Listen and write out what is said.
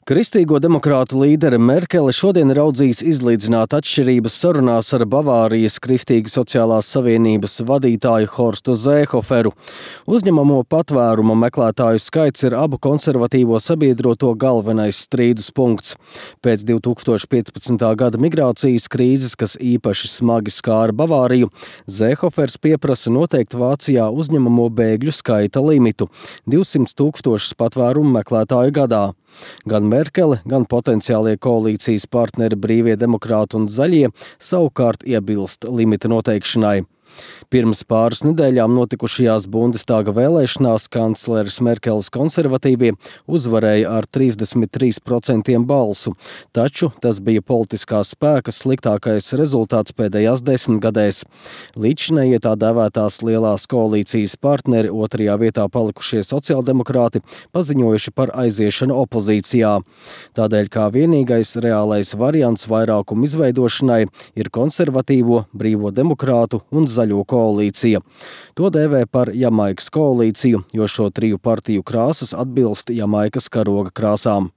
Kristīgo demokrātu līdere Merkele šodien raudzīs izlīdzināt atšķirības sarunās ar Bavārijas Kristīgu sociālās savienības vadītāju Horstu Zēhoferu. Uzņemamo patvērumu meklētāju skaits ir abu konservatīvo sabiedroto galvenais strīdus punkts. Pēc 2015. gada migrācijas krīzes, kas īpaši smagi skāra Bavāriju, Zēhofers pieprasa noteikt Vācijā uzņemamo bēgļu skaita limitu – 200 000 patvērumu meklētāju gadā. Gan Merkele, gan potenciālie koalīcijas partneri Brīvie demokrāti un Zaļie savukārt iebilst limita noteikšanai. Pirms pāris nedēļām notikušajās Bundestāga vēlēšanās kancleres Merkeles konservatīvie uzvarēja ar 33% balsu, taču tas bija politiskā spēka sliktākais rezultāts pēdējās 10 gadēs. Līdzinējie tā dēvētās lielās koalīcijas partneri otrajā vietā palikušie sociāldemokrāti paziņojuši par aiziešanu opozīcijā. Tādēļ kā vienīgais reālais variants vairākumu izveidošanai ir konservatīvo, Brīvo demokrātu un Zaļo koalīcija. To dēvē par Jamaikas koalīciju, jo šo triju partiju krāsas atbilst Jamaikas karoga krāsām.